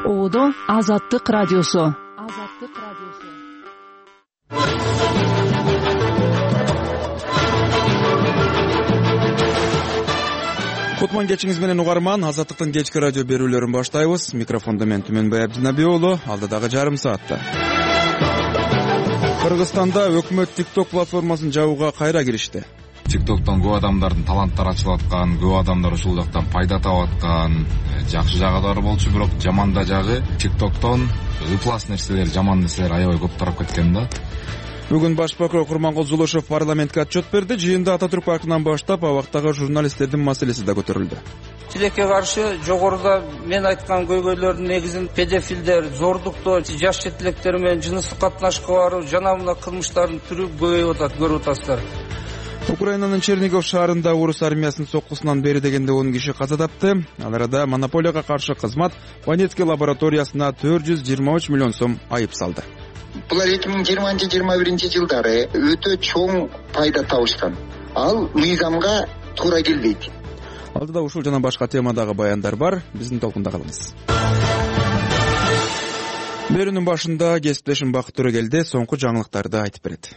Оодо Азаттык радиосу. Кутман кечиңиз менен угарман. Азаттыктын кечки радио берүүлөрүн баштайбыз. Микрофондо мен Түмөнбай Абдинаби уулу. Алдыдагы жарым саатта Кыргызстанда өкмөт TikTok платформасын жабууга кайра киришти. TikToктон көп адамдардын таланттары ачылып аткан, көп адамдар ушул жактан пайда таап аткан, жакшы жагы да бар болчу, бирок жаман да жагы TikToктон ыплас нерселер, жаман нерселер аябай көп тарап кеткен да. Бүгүн баш прокурор Курмангул Зулушев парламентке отчет берди. Жыйында Ататүрк паркынан баштап абактагы журналисттердин маселеси да көтөрүлдү. Тилекке каршы жогоруда мен айткан көйгөйлөрдүн негизин педофилдер, зордуктоо, жаш четилектер менен жыныстык катнашка баруу жана мына кылмыштардын түрү көбөйүп атат, көрүп атасыздар. Украинанын Чернигов шаарында орус армиясынын соккусунан бери дегенде 10 киши каза тапты. Ал арада монополияга каршы кызмат Ванецкий лабораториясына 423 миллион сом айып салды. Булар 2020-21 жылдары өтө чоң пайда табышкан. Ал мыйзамга туура келбейт. Алдыда ушул жана башка темадагы баяндар бар. Биздин толкунда калыңыз. Берүүнүн башында кесиптешим Бакыт Төрөгелди соңку жаңылыктарды айтып берет.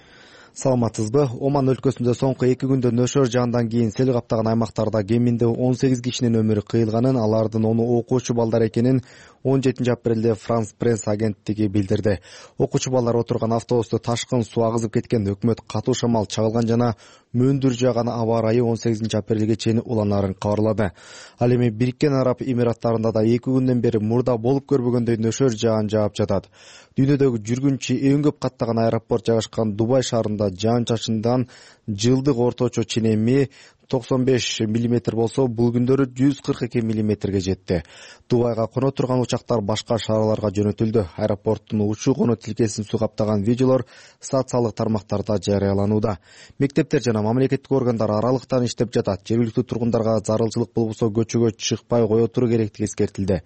Саламатсызбы? Оман өлкөсүндө соңку 2 күндө нөшөр жаандан кийин сел каптаган аймактарда кеминде 18 кишинин өмүрү кыйылганын, алардын 10 окуучу балдар экенин 17 апрелде Франс пресс агенттиги билдирди. Окуучу балдар отурган автобусту ташкын суу агызып кеткен, өкмөт катуу шамал чагылган жана мөндүр жааган аба ырайы 18 апрелге чейин уланарын кабарлады. Ал эми Бириккен Араб Эмираттарында да 2 күндөн бери мурда болуп көрбөгөндөй нөшөр жаан жаап жатат. Дүйнөдөгү жүргүнчү эң көп каттаган аэропорт жайгашкан Дубай шаарында жаан-чачындан жылдык орточо ченеми 95 мм болсо, бул күндөрү 142 мм жетти. Дубайга коно турган учактар башка шаарларга жөнөтүлдү. Аэропорттун учуу-коно тилкесин суу каптаган видеолор социалдык тармактарда жарыяланууда. Мектептер жана мамлекеттик органдар аралыктан иштеп жатат. Жергиликтүү тургундарга зарылчылык болбосо көчөгө чыкпай кое туруу керектиги эскертилди.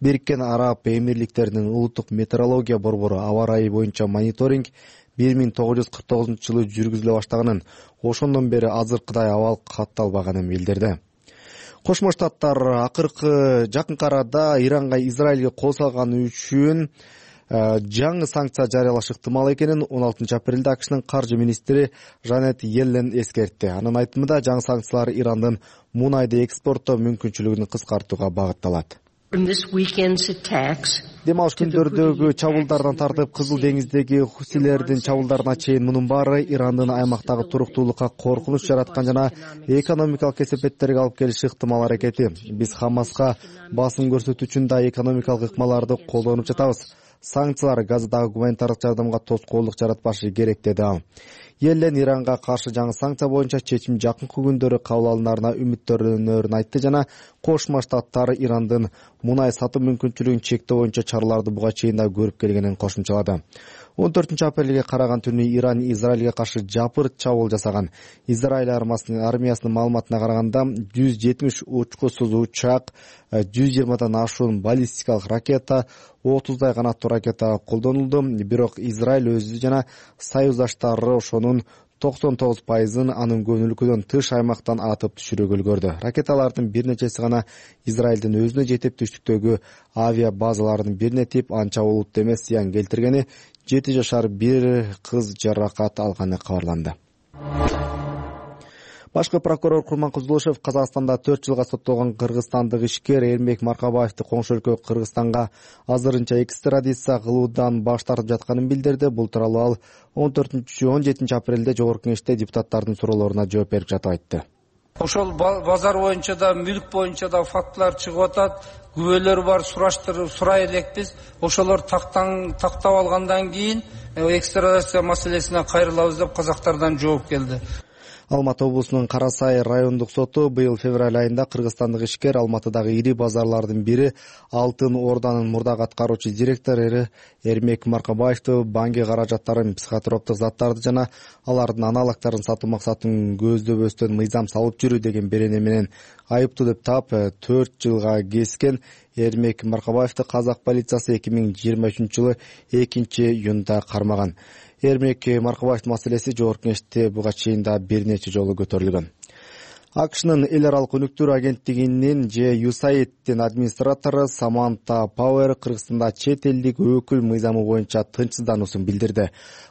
Бириккен Араб Эмирликтеринин улуттук метеорология борбору аба ырайы боюнча мониторинг 1949-жылы жүргүзүлө баштаганын, ошондон бери азыркыдай абал катталбаганын билдирди. Кошмо Штаттар жакынкы арада Иранга Израилге кол салганы үчүн жаңы санкция жарыялаш ыктымал экенин 16 апрелде АКШнын каржы министри Жанет Йеллен эскертти. Анын айтымында жаңы санкциялар Ирандын мунайды экспорттоо мүмкүнчүлүгүн кыскартууга багытталат. Дем алыш күндөрдөгү чабуулдардан тартып Кызыл деңиздеги хусилердин чабуулдарына чейин мунун баары Ирандын аймактагы туруктуулукка коркунуч жараткан жана экономикалык кесепеттерге алып келиши ыктымал аракети. Биз Хамаска басым көрсөтүү үчүн да экономикалык ыкмаларды колдонуп жатабыз. Санкциялар Газадагы гуманитардык жардамга тоскоолдук жаратпашы керек, деди ал. Йеллен Иранга каршы жаңы санкция боюнча чечим жакынкы күндөрү кабыл алынарына үмүттөнөрүн айтты жана Кошмо Штаттар Ирандын мунай сатуу мүмкүнчүлүгүн чектөө боюнча чараларды буга чейин да көрүп келгенин кошумчалады. 14 апрелге караган түнү Иран Израилге каршы жапырт чабуул жасаган. Израиль армиясынын маалыматына караганда 170 учкусуз учак, 120дан ашуун баллистикалык ракета, 30дай канаттуу ракета колдонулду. Бирок Израиль өзү жана союздаштары ошонун 99%-ын анын көңүлкүдөн тыш аймактан атып түшүрүүгө үлгөрдү. Ракеталардын бир нечеси гана Израилдин өзүнө жетип түштүктөгү авиа базалардын бирине тип анча олуттуу эмес зыян келтиргени, 7 жашар бир кыз жаракат алганы кабарланды. Башкы прокурор Курмангул Зулушев Казакстанда 4 жылга соттолгон кыргызстандык ишкер Эрмек Маркабаевди коңшу өлкө Кыргызстанга азырынча экстрадиция кылуудан баш тартып жатканын билдирди. Бул тууралуу ал 17 апрелде жогорку кеңеште депутаттардын суроолоруна жооп берип жатып айтты. Ошол базар боюнча да, мүлк боюнча да фактылар чыгып атат. Күбөлөр бар, сурай элекпиз. Ошолор тактап алгандан кийин экстрадиция маселесине кайрылабыз деп казактардан жооп келди. Алматы облусунун Кара Сай райондук соту быйыл февраль айында кыргызстандык ишкер Алматыдагы ири базарлардын бири Алтын Орданын мурдагы аткаруучу директору Эрмек Маркабаевди банки каражаттарын, психотроптук заттарды жана алардын аналогдорун сатуу максатын көздөбөстөн мыйзам салып жүрүү деген берене менен айыптуу деп таап 4 жылга кескен. Эрмек Маркабаевди казак полициясы 2023-жылы 2-июнда кармаган. Эрмек Маркабаевдин маселеси жогорку кеңеште буга чейин да бир нече жолу көтөрүлгөн. АКШнын эл аралык өнүктүрүү агенттигинин USAID'дин администратору Саманта Пауэр Кыргызстанда чет элдик өкүл мыйзамы боюнча тынчсыздануусун билдирди.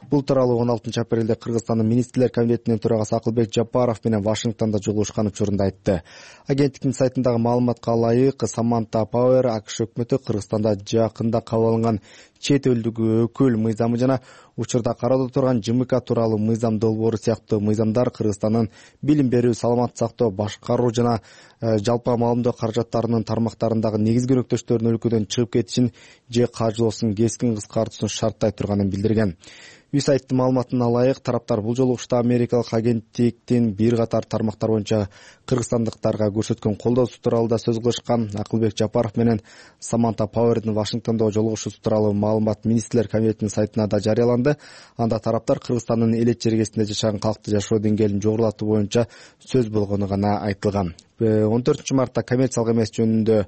Бул тууралуу 16 апрелде Кыргызстандын министрлер комитетинин төрагасы Акылбек Жапаров менен Вашингтондо жолугушкан учурунда айтты. Агенттиктин сайтындагы маалыматка ылайык, Саманта Пауэр АКШ өкмөтү Кыргызстанда жакында кабыл алынган чет элдик өкүл мыйзамы жана учурда кароодо турган ЖМК тууралуу мыйзам долбоору сыяктуу мыйзамдар Кыргызстандын билим берүү, саламаттык сактоо, башкаруу жана жалпы маалымдоо каражаттарынын тармактарындагы негизги өнөктөштөрүнүн өлкөдөн чыгып кетишин же кажылоосун кескин кыскартуусун шарттай турганын билдирген. USAID'дин маалыматына ылайык, тараптар бул жолугушта америкалык агенттиктин бир катар тармактар боюнча кыргызстандыктарга көрсөткөн колдоосу тууралуу да сөз кылышкан. Акылбек Жапаров менен Саманта Пауэрдин Вашингтондо жолугушуусу тууралуу маалымат министрлер комитетинин сайтына да жарыяланды. Анда тараптар Кыргызстандын элет жергесинде жашаган калкты жашоо деңгээлин жогорулатуу боюнча сөз болгону гана айтылган. 14-мартта коммерциялык эмес жөнүндө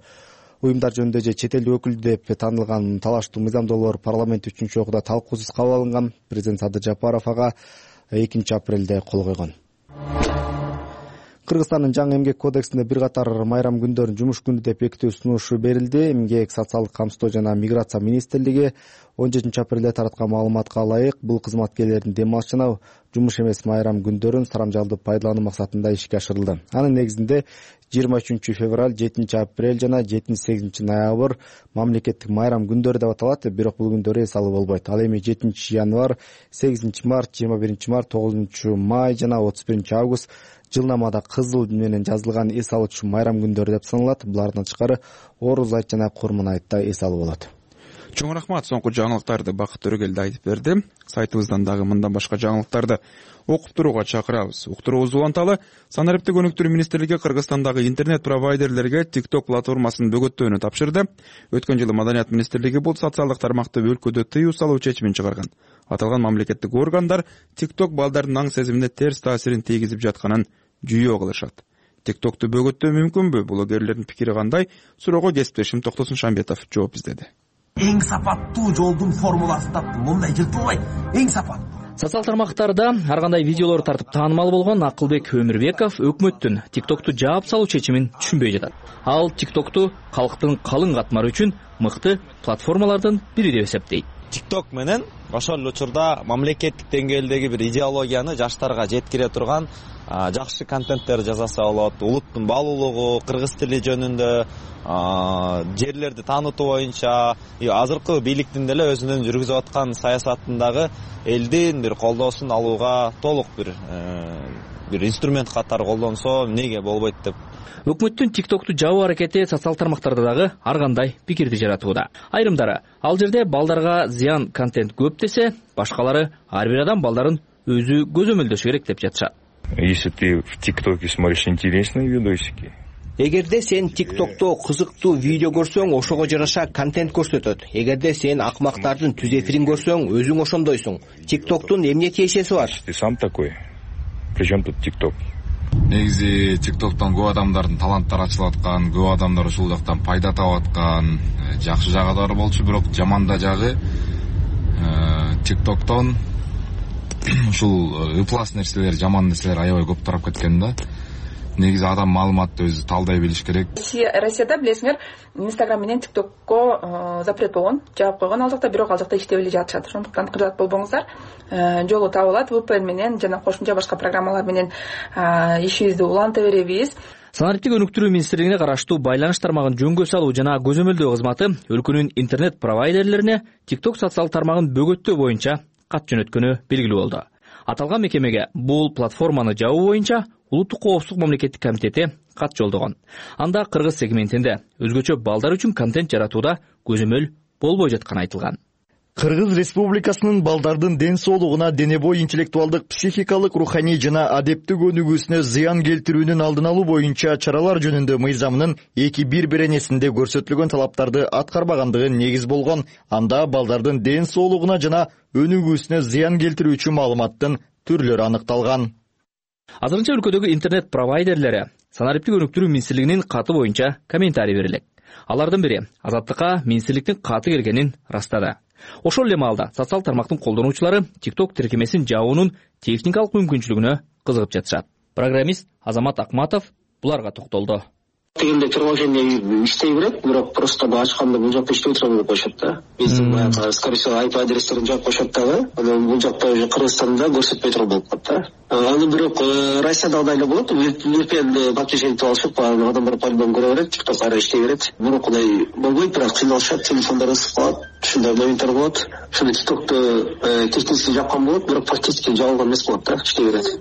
уюмдар жөнүндө же чет элдик өкүл деп таанылган талаштуу мыйзам долбоор парламент 3-окууда талкуусуз кабыл алынган. Президент Садыр Жапаров ага 2-апрелде кол койгон. Кыргызстандын жаңы эмгек кодексинде бир катар майрам күндөрүн жумуш күнү деп бекитүү сунушу берилди. Эмгек, социалдык камсыздоо жана миграция министрлиги 17-апрелде тараткан маалыматка ылайык, бул кызматкерлердин дем алыш жана жумуш эмес майрам күндөрүн сарамжалдуу пайдалануу максатында ишке ашырылды. Анын негизинде 23-февраль, 7-апрель жана 7-8 ноябрь мамлекеттик майрам күндөрү деп аталат, бирок бул күндөр эс алуу болбойт. Ал эми 7-январь, 8-март, 21-март, 9-май жана 31-август жылнамада кызыл менен жазылган эс алуучу майрам күндөрү деп саналат. Булардан тышкары Орус айт жана Курман айтта эс алуу болот. Чоң рахмат, соңку жаңылыктарды Бакыт Төрөгелди айтып берди. Сайтыбыздан дагы мындан башка жаңылыктарды окуп турууга чакырабыз. Уктуруубуз уланталы. Санариптик өнүктүрүү министрлиги Кыргызстандагы интернет провайдерлерге TikTok платформасын бөгөттөөнү тапшырды. Өткөн жылы Маданият министрлиги бул социалдык тармакты өлкөдө тыюу салуу чечимин чыгарган. Аталган мамлекеттик органдар TikTok балдардын аң сезимине терс таасирин тийгизип жатканын жүйө кылышат. TikTok'ту бөгөттөө мүмкүнбү? Блогерлердин пикири кандай? Суроого кесиптешим Токтосун Шамбетов жооп издеди. Эң сапаттуу жолдун формуласын таптым. Мындай жыртылбайт. Эң сапаттуу. Социал тармактарда ар кандай видеолор тартып таанымал болгон Акылбек Өмүрбеков өкмөттүн TikTok'ту жаап салуу чечимин түшүнбөй жатат. Ал TikTok'ту калктын калың катмары үчүн мыкты платформалардын бири деп эсептейт. TikTok менен ошол учурда мамлекеттик деңгээлдеги бир идеологияны жаштарга жеткире турган жакшы контенттер жасаса болот. Улуттун баалуулугу, кыргыз тили жөнүндө, жерлерди таанытуу боюнча азыркы бийликтин деле өзүнүн жүргүзүп аткан саясатындагы элдин бир колдоосун алууга толук бир инструмент катары колдонсо эмнеге болбойт деп. Өкмөттүн TikTok'ту жабуу аракети социал тармактарда дагы ар кандай пикирди жаратууда. Айрымдары ал жерде балдарга зыян контент көп десе, башкалары ар бир адам балдарын өзү көзөмөлдөшү керек деп жатышат. Если ты в ТикТоке смотришь интересные видосики. Эгерде сен TikTok'то кызыктуу видео көрсөң, ошого жараша контент көрсөтөт. Эгерде сен акмактардын түз эфирин көрсөң, өзүң ошондойсуң. TikToктун эмне тиешеси бар? Ты сам такой. Причем тут TikTok? Негизи TikToктон көп адамдардын таланттары ачылып аткан, көп адамдар ушул жактан пайда таап аткан, жакшы жагы бар болчу, бирок жаман да жагы TikToктон ушул ыплас нерселер, жаман нерселер аябай көп тарап кеткен да. Негизи адам маалыматты өзү талдай билиш керек. Россияда билесиңер, Instagram менен TikTokко запрет болгон, жаап койгон ал жакта, бирок ал жакта иштеп эле жатышат. Ошондуктан кыжаат болбоңуздар. Жолу табылат, VPN менен жана кошумча башка программалар менен ишибизди уланта беребиз. Санариптик өнүктүрүү министрлигине караштуу байланыш тармагын жөнгө салуу жана көзөмөлдөө кызматы өлкөнүн интернет провайдерлерине TikTok социал тармагын бөгөттөө боюнча кат жөнөткөнү белгилүү болду. Аталган мекемеге бул платформаны жабуу боюнча Улуттук коопсуздук мамлекеттик комитети кат жолдогон. Анда кыргыз сегментинде өзгөчө балдар үчүн контент жаратууда көзөмөл болбой жатканы айтылган. Кыргыз Республикасынын балдардын ден соолугуна, дене бой интеллектуалдык, психикалык, руханий жана адептик өнүгүүсүнө зыян келтирүүнүн алдын алуу боюнча чаралар жөнүндө мыйзамынын 2.1 беренесинде көрсөтүлгөн талаптарды аткарбагандыгы негиз болгон. Анда балдардын ден соолугуна жана өнүгүүсүнө зыян келтирүүчү маалыматтын түрлөрү аныкталган. Азырынча өлкөдөгү интернет провайдерлери Санариптик өнүктүрүү министрлигинин каты боюнча комментарий берилет. Алардын бири Азаттыкка министрликтин каты келгенин растады. Ошол эле маалда социал тармактын колдонуучулары TikTok тиркемесин жабуунун техникалык мүмкүнчүлүгүнө кызыгып жатышат. Программист Азамат Акматов буларга токтолду. Дегенде приложение иштей берет, бирок просто ачканда бул жакта иштебей турган болуп коюшат да. Биздин баягы, скорее всего, IP адрестерин жаап коюшат дагы. Анан бул жакта уже Кыргызстанда көрсөтпөй турган болуп калат да. Аны бирок Россияда андай эле болот. VPN подключение кылып алышып, адамдар по-любому көрө берет, TikTok ары иштей берет. Бирок болбойт, бирок кыйналышат, телефондар ысып калат. Ушундай моменттер болот. Ошондо TikTok'ты технически жапкан болот, бирок практически жабылган эмес болот да, иштей берет.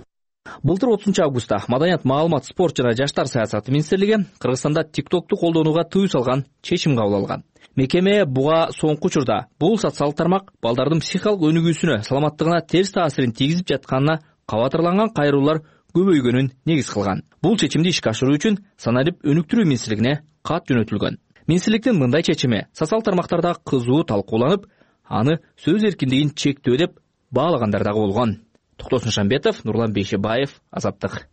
Былтыр 30-августта Маданият, маалымат, спорт жана жаштар саясаты министрлиги Кыргызстанда TikTok'ту колдонууга тыюу салган чечим кабыл алган. Мекеме буга соңку учурда бул социалдык тармак балдардын психикалык өнүгүүсүнө, саламаттыгына терс таасирин тийгизип жатканына кабатырланган кайрылуулар көбөйгөнүн негиз кылган. Бул чечимди ишке ашыруу үчүн Саналип өнүктүрүү министрлигине кат жөнөтүлгөн. Министрликтин мындай чечими социалдык тармактарда кызуу талкууланып, аны сөз эркиндигин чектөө деп баалагандар дагы болгон. Токтосун Шамбетов, Нурлан Бейшебаев, Азаттык.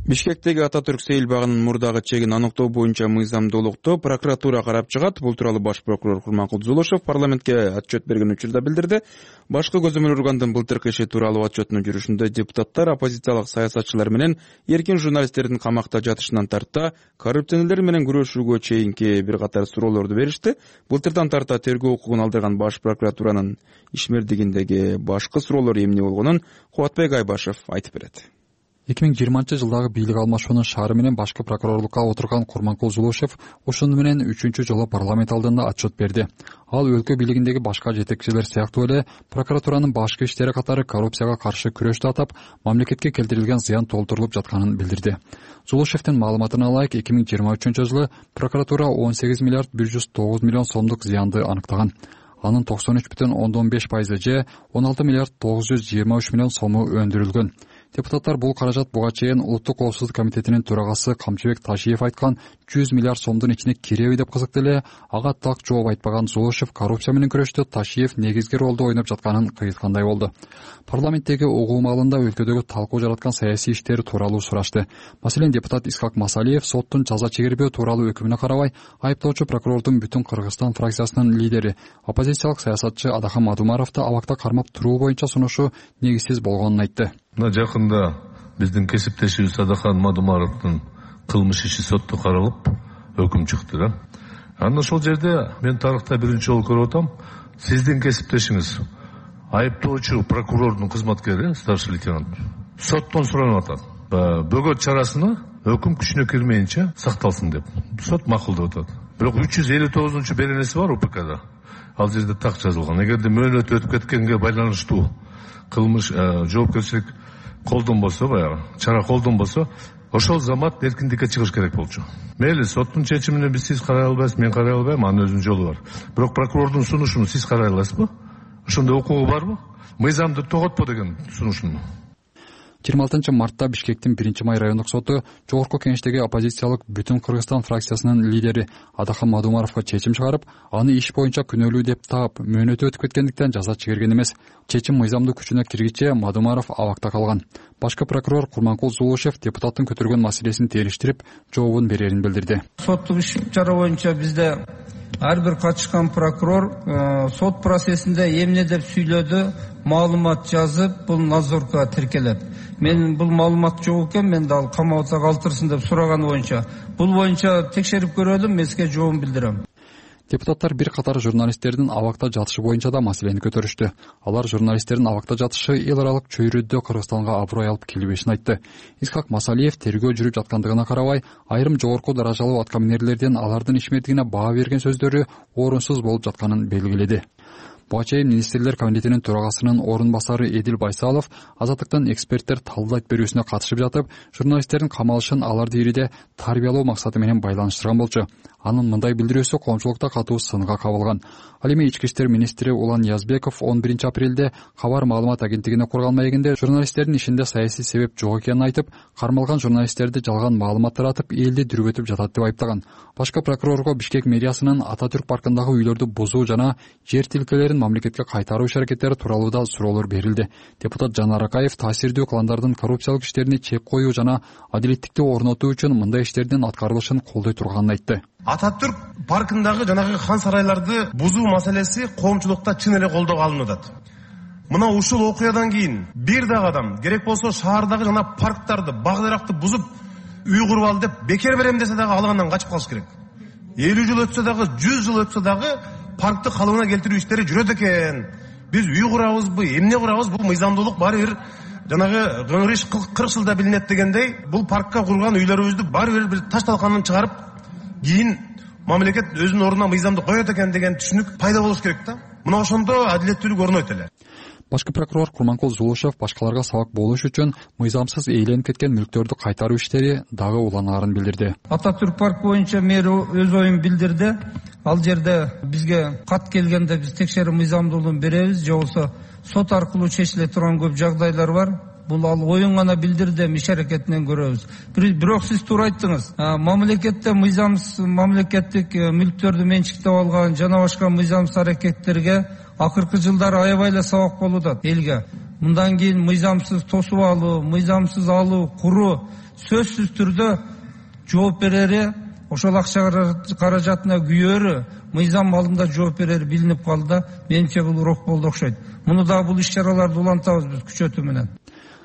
Бишкектеги Ататүрк сейил багынын мурдагы чегин аныктоо боюнча мыйзамдуулукту прокуратура карап чыгат. Бул тууралуу баш прокурор Курманкул Зулушев парламентке отчет берген учурда билдирди. Башкы көзөмөл органдын былтыркы иши тууралуу отчетунун жүрүшүндө депутаттар оппозициялык саясатчылар менен эркин журналисттердин камакта жатышынан тарта коррупционерлер менен күрөшүүгө чейинки бир катар суроолорду беришти. Былтырдан тарта тергөө укугун алдырган баш прокуратуранын ишмердигиндеги башкы суроолор эмне болгонун Кубатбек Айбашев айтып берет. 2020-жылдагы бийлик алмашуунун шаары менен башкы прокурорлукка отурган Курманкул Зулушев ошону менен 3-чү жолу парламент алдында отчет берди. Ал өлкө бийлигиндеги башка жетекчилер сыяктуу эле прокуратуранын башкы иштери катары коррупцияга каршы күрөштү атап, мамлекетке келтирилген зыян толтурулуп жатканын билдирди. Зулушевдин маалыматына ылайык 2023-жылы прокуратура 18 миллиард 109 миллион сомдук зыянды аныктаган. Анын 93,5% же 16 миллиард 923 миллион сому өндүрүлгөн. Депутаттар бул каражат буга чейин Улуттук коопсуздук комитетинин төрагасы Камчыбек Ташиев айткан 100 миллиард сомдун ичине киреби деп кызыкты эле. Ага так жооп айтпаган Зулушев коррупция менен күрөштө Ташиев негизги ролду ойноп жатканын кыйыткандай болду. Парламенттеги угуу маалында өлкөдөгү талкуу жараткан саясий иштер тууралуу сурашты. Маселен, депутат Исхак Масалиев соттун жаза чегербөө тууралуу өкүмүнө карабай айыптоочу прокурордун Бүтүн Кыргызстан фракциясынын лидери, оппозициялык саясатчы Адахан Мадумаровду абакта кармап туруу боюнча сунушу негизсиз болгонун айтты. Мына жакында биздин кесиптешибиз Адахан Мадумаровдун кылмыш иши сотто каралып, өкүм чыкты да. Анда ошол жерде мен тарыхта биринчи жолу көрүп атам, сиздин кесиптешиңиз айыптоочу прокурордун кызматкери, старший лейтенант, соттон суранып атат. Бөгөт чарасына өкүм күчүнө кирмейинче сакталсын деп. Сот макулдап атат. Бирок 359-чу беренеси бар УПКда. Ал жерде так жазылган. Эгерде мөөнөт өтүп кеткенге байланыштуу кылмыш жоопкерчилик колдонбосо, баягы чара колдонбосо, ошол замат эркиндикке чыгыш керек болчу. Мейли, соттун чечимине сиз карай албайсыз, мен карай албайм, анын өзүнүн жолу бар. Бирок прокурордун сунушун сиз карай аласызбы? Ошондой укугу барбы? Мыйзамды тоготпо деген сунушун. 26-мартта Бишкектин 1-май райондук соту жогорку кеңештеги оппозициялык Бүтүн Кыргызстан фракциясынын лидери Адахан Мадумаровго чечим чыгарып, аны иш боюнча күнөөлүү деп таап, мөөнөтү өтүп кеткендиктен жаза чегерген эмес. Чечим мыйзамдуу күчүнө киргиче Мадумаров абакта калган. Башкы прокурор Курманкул Зулушев депутаттын көтөргөн маселесин териштирип, жообун берерин билдирди. Соттук иш чара боюнча бизде ар бир катышкан прокурор сот процессинде эмне деп сүйлөдү, маалымат жазып, бул надзорго тиркелет. Мен бул маалымат жок экен, мен дал камакта калтырсын деп сураган боюнча, бул боюнча текшерип көрөлүм, мен сизге жообун билдирем. Депутаттар бир катар журналисттердин абакта жатышы боюнча да маселени көтөрүштү. Алар журналисттердин абакта жатышы эл аралык чөйрөдө Кыргызстанга аброй алып келбешин айтты. Исхак Масалиев тергөө жүрүп жаткандыгына карабай, айрым жогорку даражалуу аткаминерлерден алардын ишмердигине баа берген сөздөрү орунсуз болуп жатканын белгиледи. Буга чейин министрлер комитетинин төрагасынын орун басары Эдил Байсалов Азаттыктан эксперттер талдайт берүүсүнө катышып жатып, журналисттердин камалышын аларды ириде тарбиялоо максаты менен байланыштырган болчу. Анын мындай билдирүүсү коомчулукта катуу сынга кабылган. Ал эми ички иштер министри Улан Язбеков 11-апрелде Кабар маалымат агенттигине курган маегинде журналисттердин ишинде саясий себеп жок экенин айтып, кармалган журналисттерди жалган маалымат таратып, элди дүрбөтүп жатат деп айыптаган. Башкы прокурорго Бишкек мэриясынын Ататүрк паркындагы үйлөрдү бузуу жана жер тилкелерин мамлекетке кайтаруу иш-аракеттери тууралуу да суроолор берилди. Депутат Жанар Акаев таасирдүү кландардын коррупциялык иштерине чек коюу жана адилеттикти орнотуу үчүн мындай иштердин аткарылышын колдой турганын айтты. Ататүрк паркындагы жанагы хан сарайларды бузуу маселеси коомчулукта чын эле колдоого алынып атат. мына ушул окуядан кийин бир дагы адам керек болсо шаардагы жана парктарды, бак даракты бузуп үй куруп ал деп бекер берем десе дагы ал андан качып калыш керек. 50 жыл өтсө дагы, 100 жыл өтсө дагы паркты калыбына келтирүү иштери жүрөт экен. Биз үй курабызбы, эмне курабыз, бул мыйзамдуулук баары бир жанагы кыңырыш 40 жылда билинет дегендей, бул паркка курган үйлөрүбүздү баары бир таш талканын чыгарып, кийин мамлекет өзүнүн ордуна мыйзамды коет экен деген түшүнүк пайда болуш керек да. Мына ошондо адилеттүүлүк орнойт эле. Башкы прокурор Курманкул Зулушев башкаларга сабак болуш үчүн мыйзамсыз ээленип кеткен мүлктөрдү кайтаруу иштери дагы уланаарын билдирди. Ататүрк парк боюнча мэри өз оюн билдирди. Ал жерде бизге кат келгенде биз текшерүү мыйзамдуулугун беребиз, же болбосо сот аркылуу чечиле турган көп жагдайлар бар. Бул ал оюн гана билдирди, иш аракетинен көрөбүз. Бирок сиз туура айттыңыз. Мамлекетте мамлекеттик мүлктөрдү менчиктеп алган жана башка мыйзамсыз аракеттерге акыркы жылдары аябай эле сабак болуп элге. Мындан кийин мыйзамсыз тосуп алуу, мыйзамсыз алуу, куруу сөзсүз түрдө жооп берери, ошол акча каражатына күйөөрү, мыйзам алдында жооп берери билинип калды да, менимче бул урок болду окшойт. Муну дагы бул иш-чараларды улантабыз биз күчөтүү менен.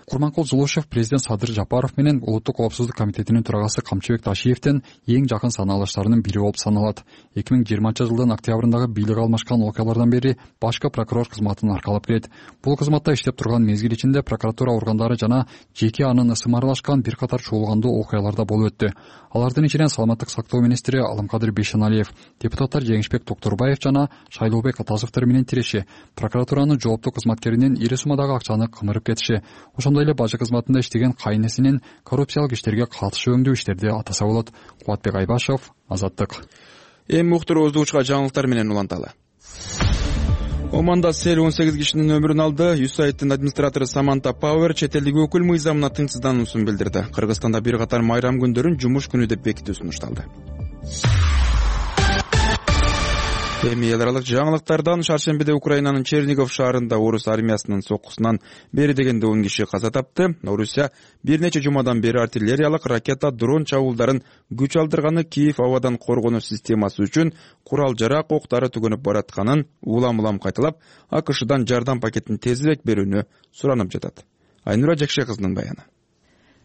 Курманкул Зулушев президент Садыр Жапаров менен Улуттук коопсуздук комитетинин төрагасы Камчыбек Ташиевден эң жакын санаалыштарынын бири болуп саналат. 2020-жылдын октябрындагы бийлик алмашкан окуялардан бери башкы прокурор кызматын аркалап келет. Бул кызматта иштеп турган мезгил ичинде прокуратура органдары жана жеке анын ысымы аралашкан бир катар чуулгандуу окуяларда болуп өттү. Алардын ичинен саламаттык сактоо министри Алымкадыр Бейшеналиев, депутаттар Жеңишбек Токторбаев жана Шайлообек Атазовдор менен тиреши, прокуратуранын жооптуу кызматкеринин ири суммадагы акчаны кымырып кетиши, ошондой эле бажы кызматында иштеген кайнесинин коррупциялык иштерге катышы өңдүү иштерди атаса болот. Кубатбек Айбашев, Азаттык. Эми уктуруубузду жаңылыктар менен уланталы. Оманда сел 18 кишинин өмүрүн алды. USAID-тын администратору Саманта Пауэр чет элдик өкүл мыйзамына тынчсыздануусун билдирди. Кыргызстанда бир катар майрам күндөрүн жумуш күнү деп бекитүү сунушталды. Эми эл аралык жаңылыктардан шаршембиде Украинанын Чернигов шаарында орус армиясынын соккусунан бери дегенде 10 киши каза тапты. Орусия бир нече жумадан бери артиллериялык ракета, дрон чабуулдарын күч алдырганы, Киев абадан коргонуу системасы үчүн курал-жарак октары түгөнүп баратканын улам-улам кайталап, АКШдан жардам пакетин тезирээк берүүнү суранып жатат. Айнура Жакшай кызынын баяны.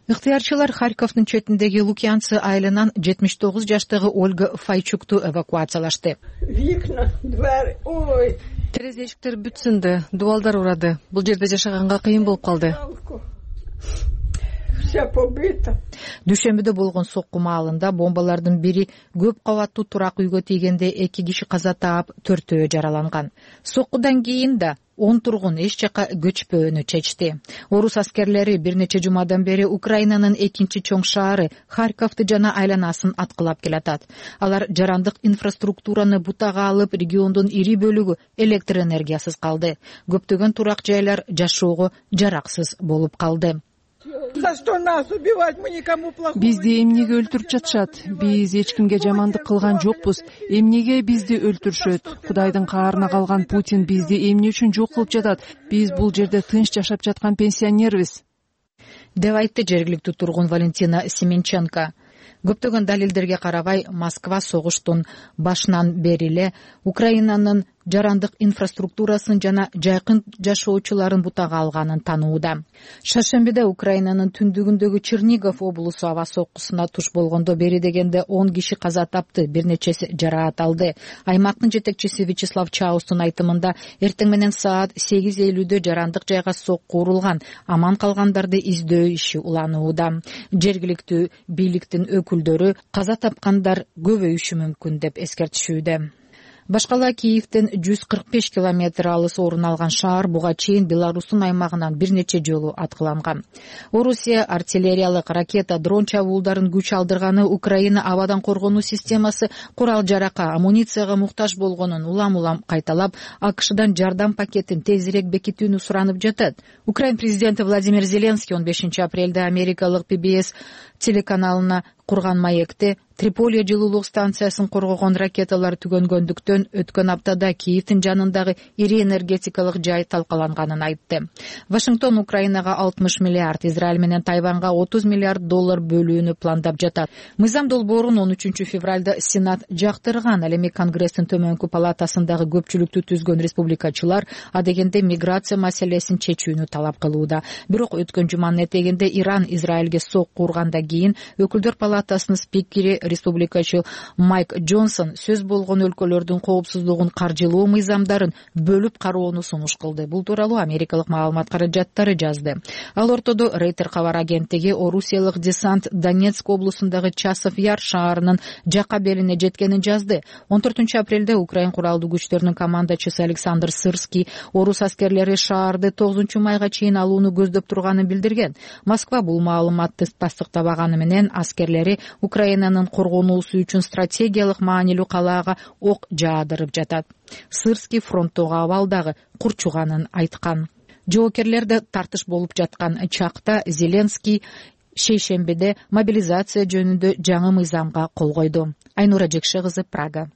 Ыктыярчылар Харьковдун четиндеги Лукьянцы айылынан 79 жаштагы Ольга Файчукту эвакуациялашты. Терезе эшиктер бүт сынды, дубалдар урады. Бул жерде жашаганга кыйын болуп калды. Дүйшөмбүдө болгон сокку маалында бомбалардын бири көп кабаттуу турак үйгө тийгенде 2 киши каза таап, 4-өө жараланган. Соккудан кийин да 10 тургун эч жака көчпөөнү чечти. Орус аскерлери бир нече жумадан бери Украинанын экинчи чоң шаары Харьковду жана айланасын аткылап келатат. Алар жарандык инфраструктураны бутага алып, региондун ири бөлүгү электр энергиясыз калды. Көптөгөн турак жайлар жашоого жараксыз болуп калды. Бизди эмнеге өлтүрүп жатышат? Биз эч кимге жамандык кылган жокпуз. Эмнеге бизди өлтүрүшөт? Кудайдын каарына калган Путин бизди эмне үчүн жок кылып жатат? Биз бул жерде тынч жашап жаткан пенсионербиз, деп айтты жергиликтүү тургун Валентина Семенченко. Көптөгөн далилдерге карабай, Москва согуштун башынан бери эле Украинанын жарандык инфраструктурасын жана жайкын жашоочуларын бутага алганын таанууда. Шаршембиде Украинанын түндүгүндөгү Чернигов облусу аба соккусуна туш болгондо бери дегенде 10 киши каза тапты, бир нечеси жараат алды. Аймактын жетекчиси Вячеслав Чаустун айтымында эртең менен саат 8:50 жарандык жайга сокку урулган, аман калгандарды издөө иши уланууда. Жергиликтүү бийликтин өкүлдөрү каза тапкандар көбөйүшү мүмкүн деп эскертишүүдө. Башкала Киевден 145 километр алыс орун алган шаар буга чейин Беларустун аймагынан бир нече жолу аткыланган. Орусия артиллериялык ракета, дрон чабуулдарын күч алдырганы, Украина абадан коргонуу системасы курал-жаракка, амуницияга муктаж болгонун улам-улам кайталап, АКШдан жардам пакетин тезирээк бекитүүнү суранып жатат. Украин президенти Владимир Зеленский 15 апрелде америкалык PBS телеканалына курган маекте Триполи жылуулук станциясын коргогон ракеталар түгөнгөндүктөн өткөн аптада Киевдин жанындагы ири энергетикалык жай талкаланганын айтты. Вашингтон Украинага 60 миллиард, Израиль менен Тайванга 30 миллиард доллар бөлүүнү пландап жатат. Мыйзам долбоорун 13 февралда Сенат жактырган. Ал эми Конгресстин төмөнкү палатасындагы көпчүлүктү түзгөн республикачылар адегенде миграция маселесин чечүүнү талап кылууда. Бирок өткөн жуманын этегинде Иран Израилге сокку ургандан кийин өкүлдөр палатасынын спикери республикачы Майк Джонсон сөз болгон өлкөлөрдүн коопсуздугун каржылоо мыйзамдарын бөлүп кароону сунуш кылды. Бул тууралуу америкалык маалымат каражаттары жазды. Ал ортодо Рейтер кабар агенттиги орусиялык десант Донецк облусундагы Часов Яр шаарынын жакка белине жеткенин жазды. 14 апрелде Украин куралдуу күчтөрүнүн командачысы Александр Сырский орус аскерлери шаарды 9 майга чейин алууну көздөп турганын билдирген. Москва бул маалыматты тастыктабаганы менен аскерлери Украинанын коргонуусу үчүн стратегиялык маанилүү калаага ок жаадырып жатат. Сырский фронттогу абалдагы курчуганын айткан. Жоокерлерде тартыш болуп жаткан чакта Зеленский шейшембиде мобилизация жөнүндө жаңы мыйзамга кол койду. Айнура Жекше кызы, Прага.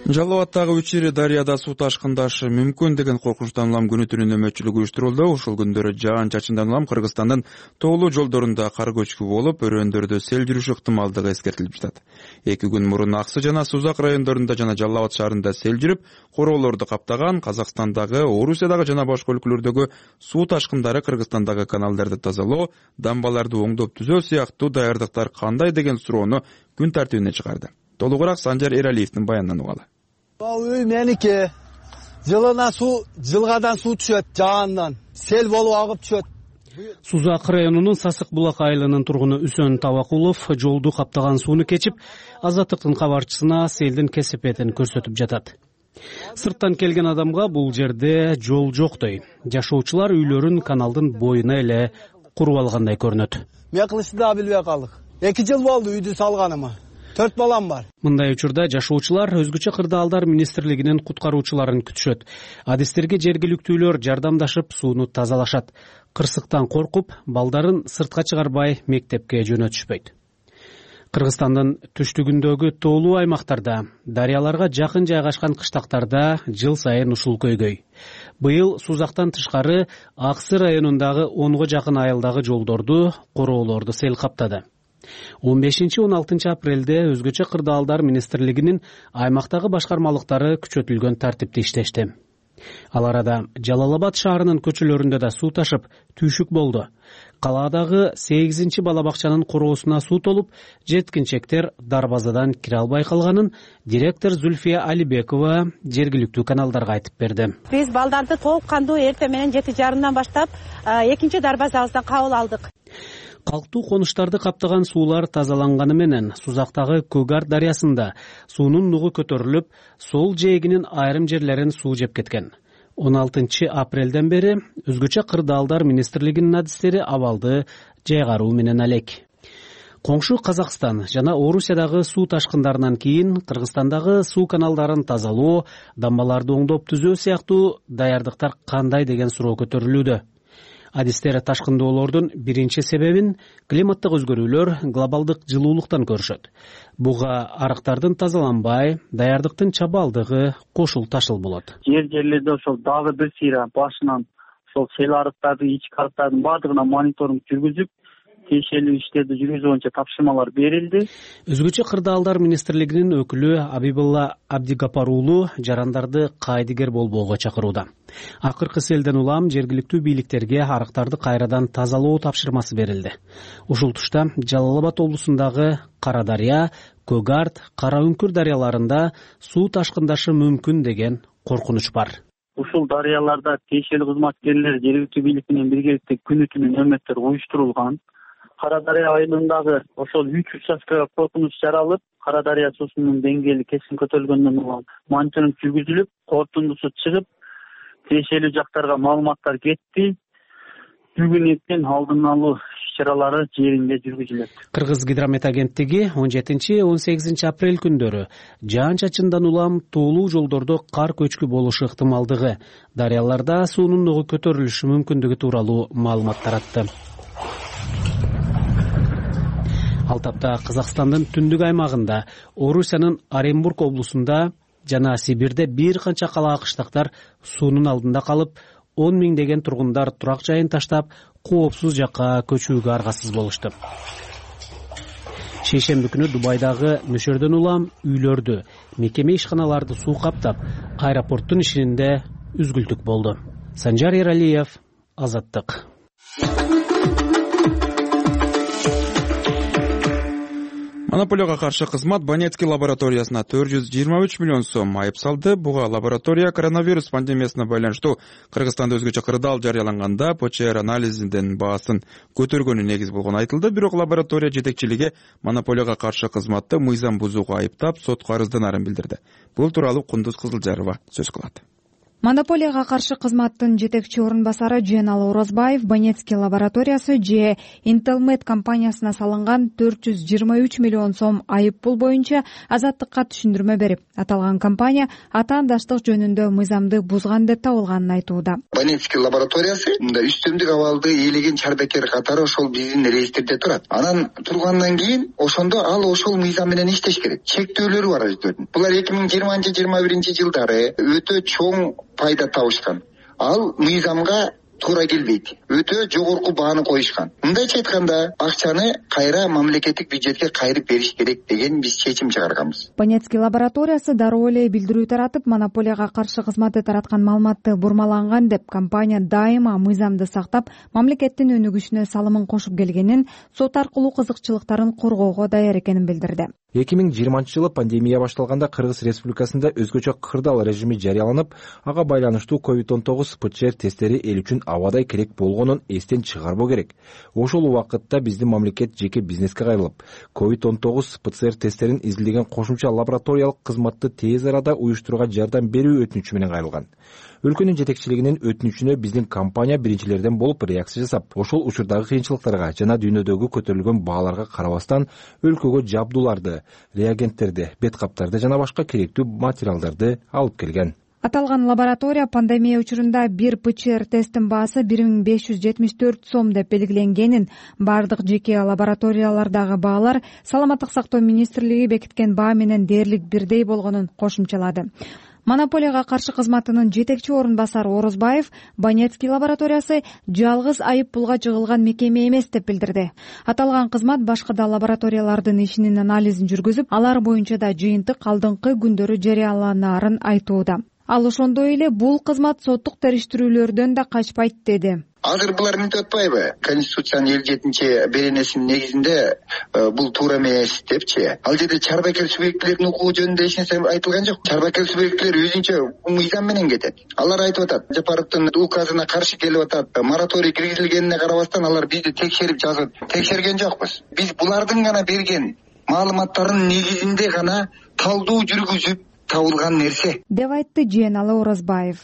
Жалал Абадтагы Учири дарыяда суу ташкындашы мүмкүн деген коркунучтан улам күнү түнү нөмөтчүлүк уюштурулду. Ушул күндөрү жаан чачындан улам Кыргызстандын тоолуу жолдорунда кар көчкү болуп, өрөөндөрдө сел жүрүшү ыктымалдыгы эскертилип жатат. 2 күн мурун Аксы жана Сузак райондорунда жана Жалал Абад шаарында сел жүрүп, короолорду каптаган. Казакстандагы, Орусиядагы жана башка өлкөлөрдөгү суу ташкындары Кыргызстандагы каналдарды тазалоо, дамбаларды оңдоп түзөө сыяктуу даярдыктар кандай деген суроону күн тартибине чыгарды. Толугураак Санжар Эралиевдин баянынан угалы. Үй меники. Жылына жылгадан суу түшөт, жаандан. Сел болуп агып түшөт. Сузак районунун Сасык булак айылынын тургуну Үсөн Табакулов жолду каптаган сууну кечип, Азаттыктын кабарчысына селдин кесепетин көрсөтүп жатат. Сырттан келген адамга бул жерде жол жоктой. Жашоочулар үйлөрүн каналдын боюна эле куруп алгандай көрүнөт. Мен кылышты да билбей калдык. 2 жыл болду үйдү салганыма. 4 балам бар. Мындай учурда жашоочулар өзгөчө кырдаалдар министрлигинин куткаруучуларын күтүшөт. Адистерге жергиликтүүлөр жардамдашып сууну тазалашат. Кырсыктан коркуп, балдарын сыртка чыгарбай мектепке жөнөтүшпөйт. Кыргызстандын түштүгүндөгү тоолуу аймактарда, дарыяларга жакын жайгашкан кыштактарда жыл сайын ушул көйгөй. Быйыл Сузактан тышкары Аксы районундагы 10го жакын айылдагы жолдорду, короолорду сел каптады. 15-16 апрелде өзгөчө кырдаалдар министрлигинин аймактагы башкармалыктары күчөтүлгөн тартипте иштешти. Ал арада Жалал Абад шаарынын көчөлөрүндө да суу ташып, түйшүк болду. Калаадагы 8 бала бакчанын короосуна суу толуп, жеткинчектер дарбазадан кире албай калганын директор Зульфия Алибекова жергиликтүү каналдарга айтып берди. Биз балдарды толук кандуу эртең менен 7:30 баштап 2 дарбазабыздан кабыл алдык. Калктуу конуштарды каптаган суулар тазаланганы менен Сузактагы Көгаар дарыясында суунун нугу көтөрүлүп, сол жээгинин айрым жерлерин суу жеп кеткен. 16 апрелден бери өзгөчө кырдаалдар министрлигинин адистери абалды жайгаруу менен алек. Коңшу Казакстан жана Орусиядагы суу ташкындарынан кийин Кыргызстандагы суу каналдарын тазалоо, дамбаларды оңдоп түзөө сыяктуу даярдыктар кандай деген суроо көтөрүлүүдө. Адистер ташкындоолордун биринчи себебин климаттык өзгөрүүлөр, глобалдык жылуулуктан көрүшөт. Буга арыктардын тазаланбай, даярдыктын чабалдыгы кошул ташыл болот. Жерлерде ошол дагы бир сыйра башынан ошол сел арыктарды, ички арыктардын баардыгына мониторинг жүргүзүп, тиешелүү иштерди жүргүзүү боюнча тапшырмалар берилди. Өзгөчө кырдаалдар министрлигинин өкүлү Абибулла Абдигапар уулу жарандарды кайдыгер болбоого чакырууда. Акыркы селден улам жергиликтүү бийликтерге арыктарды кайрадан тазалоо тапшырмасы берилди. Ушул тушта Жалал Абад облусундагы Кара дарыя, Көгарт, Кара Үңкүр дарыяларында суу ташкындашы мүмкүн деген коркунуч бар. Ушул дарыяларда тиешелүү кызматкерлер жергиликтүү бийлик менен биргеликте күнү түнү нөмөттөр уюштурулган. Кара дарыя айылындагы ошол 3 участкага коркунуч жаралып, Кара дарыя суусунун деңгээли кесин көтөрүлгөндөн улам мониторинг жүргүзүлүп, корутундусу чыгып, тиешелүү жактарга маалыматтар кетти. Бүгүн эртең алдын алуу иш-чаралары жеринде жүргүзүлөт. Кыргыз гидромет агенттиги 17-18 апрель күндөрү жаан-чачындан улам тоолуу жолдордо кар көчкү болушу ыктымалдыгы, дарыяларда суунун нугу көтөрүлүшү мүмкүндүгү тууралуу маалымат таратты. Ал тапта Казакстандын түндүк аймагында, Орусиянын Оренбург облусунда жана Сибирде бир канча калаа кыштактар суунун алдында калып, 10 миңдеген тургундар турак жайын таштап, коопсуз жакка көчүүгө аргасыз болушту. Шейшемби күнү Дубайдагы нөшөрдөн улам үйлөрдү, мекеме ишканаларды суу каптап, аэропорттун ишинде үзгүлтүк болду. Санжар Эралиев, Азаттык. Монополияга каршы кызмат Банецкий лабораториясына 423 миллион сом айып салды. Буга лаборатория коронавирус пандемиясына байланыштуу Кыргызстанда өзгөчө кырдаал жарыяланганда ПЧР анализинин баасын көтөргөнү негиз болгону айтылды. Бирок лаборатория жетекчилиги монополияга каршы кызматты мыйзам бузууга айыптап, сотко арызданарын билдирди. Бул тууралуу Кундуз Кызылжарова сөз кылат. Монополияга каршы кызматтын жетекчи орун басары Жeenалы Орозбаев Банецкий лабораториясы же Intelmed компаниясына салынган 423 миллион сом айып пул боюнча Азаттыкка түшүндүрмө берип, аталган компания атаандаштык жөнүндө мыйзамды бузган деп табылганын айтууда. Банецкий лабораториясы үстөмдүк абалды ээлеген чарбекер катары ошол биздин реестрде турат. Анан тургандан кийин ошондо ал ошол мыйзам менен иштеш керек. Чектөөлөрү бар өздөрүнүн. Булар 2020-21 жылдары өтө чоң пайда табышкан. Ал мыйзамга туура келбейт. Өтө жогорку бааны коюшкан. Мындайча айтканда, акчаны кайра мамлекеттик бюджетке кайрып бериш керек деген биз чечим чыгарганбыз. Банецкий лабораториясы дароо эле билдирүү таратып, монополияга каршы кызматы тараткан маалыматты бурмаланган деп, компания дайыма мыйзамды сактап, мамлекеттин өнүгүшүнө салымын кошуп келгенин, сот аркылуу кызыкчылыктарын коргоого даяр экенин билдирди. 2020 жылы пандемия башталганда Кыргыз Республикасында өзгөчө кырдаал режими жарыяланып, ага байланыштуу COVID-19 ПЧР тесттери эл үчүн абадай керек болгонун эстен чыгарбоо керек. Ошол убакытта биздин мамлекет жеке бизнеске кайрылып, COVID-19 ПЦР тесттерин изилдеген кошумча лабораториялык кызматты тез арада уюштурууга жардам берүү өтүнүчү менен кайрылган. Өлкөнүн жетекчилигинин өтүнүчүнө биздин компания биринчилерден болуп реакция жасап, ошол учурдагы кыйынчылыктарга жана дүйнөдөгү көтөрүлгөн бааларга карабастан өлкөгө жабдууларды, реагенттерди, бет каптарды жана башка керектүү материалдарды алып келген. Аталган лаборатория пандемия учурунда бир ПЧР тесттин баасы 1574 сом деп белгиленгенин, бардык жеке лабораториялардагы баалар Саламаттык сактоо министрлиги бекиткен баа менен дээрлик бирдей болгонун кошумчалады. Монополияга каршы кызматынын жетекчи орун басары Орозбаев Банецкий лабораториясы жалгыз айып пулга жыгылган мекеме эмес деп билдирди. Аталган кызмат башка да лабораториялардын ишинин анализин жүргүзүп, алар боюнча да жыйынтык алдыңкы күндөрү жарыяланарын айтууда. Ал ошондой эле бул кызмат соттук териштирүүлөрдөн да качпайт деди. Азыр булар мынтип атпайбы? Конституциянын 57 беренесинин негизинде бул туура эмес депчи. Ал жерде чарбакер субъектилердин укугу жөнүндө эч нерсе айтылган жок. Чарбакер субъектилер өзүнчө мыйзам менен кетет. Алар айтып атат, Жапаровдун указына каршы келип атат. Мораторий киргизилгенине карабастан алар бизди текшерип жазып, текшерген жокпуз. Биз булардын гана берген маалыматтарынын негизинде гана талдоо жүргүзүп табылган нерсе деп айтты Жeenалы Орозбаев.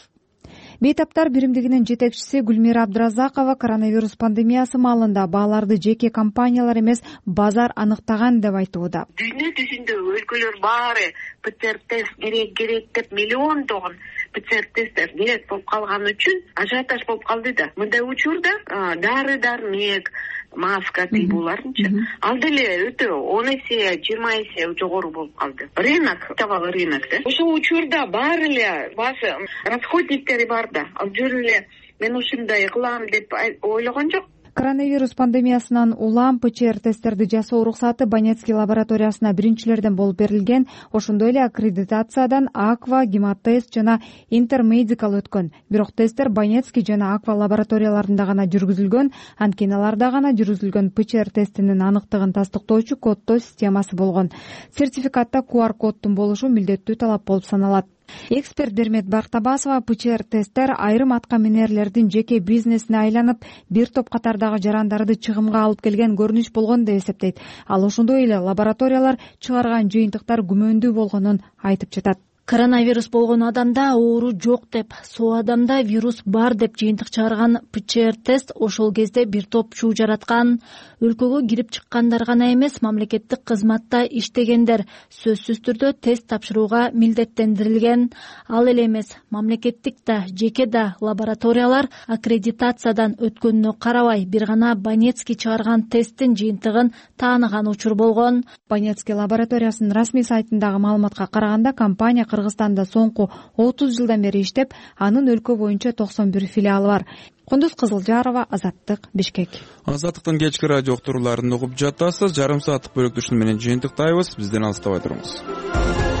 Бейтаптар биримдигинин жетекчиси Гүлмира Абдыразакова коронавирус пандемиясы маалында бааларды жеке компаниялар эмес, базар аныктаган деп айтууда. Дүйнө жүзүндө өлкөлөр баары ПЦР тест керек деп миллиондогон ПЦР тесттер керек болуп калган үчүн ажиотаж болуп калды да. Мындай учурда дары-дармек, маска тыйбууларынчы ал деле өтө 10 эсе, 20 эсе жогору болуп калды. Рынок, табалы рынок да. Ошол учурда баары эле башы расходниктери бар да. Ал жөн эле мен ушундай кылам деп ойлогон жок. Коронавирус пандемиясынан улам ПЧР тесттерди жасоо уруксаты Банецкий лабораториясына биринчилерден болуп берилген. Ошондой эле аккредитациядан Аква, Гематест жана Интермедикал өткөн. Бирок тесттер Банецкий жана Аква лабораторияларында гана жүргүзүлгөн, анткеналарда гана жүргүзүлгөн ПЧР тестинин аныктыгын тастыктоочу коддоо системасы болгон. Сертификатта QR коддун болушу милдеттүү талап болуп саналат. Эксперт Бермет Бактабасова ПЧР тесттер айрым аткаминерлердин жеке бизнесине айланып, бир топ катардагы жарандарды чыгымга алып келген көрүнүш болгон деп эсептейт. Ал ошондой эле лабораториялар чыгарган жыйынтыктар күмөндүү болгонун айтып жатат. Коронавирус болгон адамда оору жок деп, соо адамда вирус бар деп жыйынтык чыгарган ПЦР тест ошол кезде бир топ чуу жараткан. Өлкөгө кирип чыккандар гана эмес, мамлекеттик кызматта иштегендер сөзсүз түрдө тест тапшырууга милдеттендирилген. Ал эле эмес, мамлекеттик да, жеке да лабораториялар аккредитациядан өткөнүнө карабай, бир гана Банецкий чыгарган тесттин жыйынтыгын тааныган учур болгон. Банецкий лабораториясынын расмий сайтындагы маалыматка караганда, компания Кыргызстанда соңку 30 жылдан бери иштеп, анын өлкө боюнча 91 филиалы бар. Кундуз Кызылжарова, Азаттык, Бишкек. Азаттыктын кечки радио уктурууларын угуп жатасыз. Жарым сааттык бөлүктүшүн менен жыйынтыктайбыз. Бизден алыстабай туруңуз.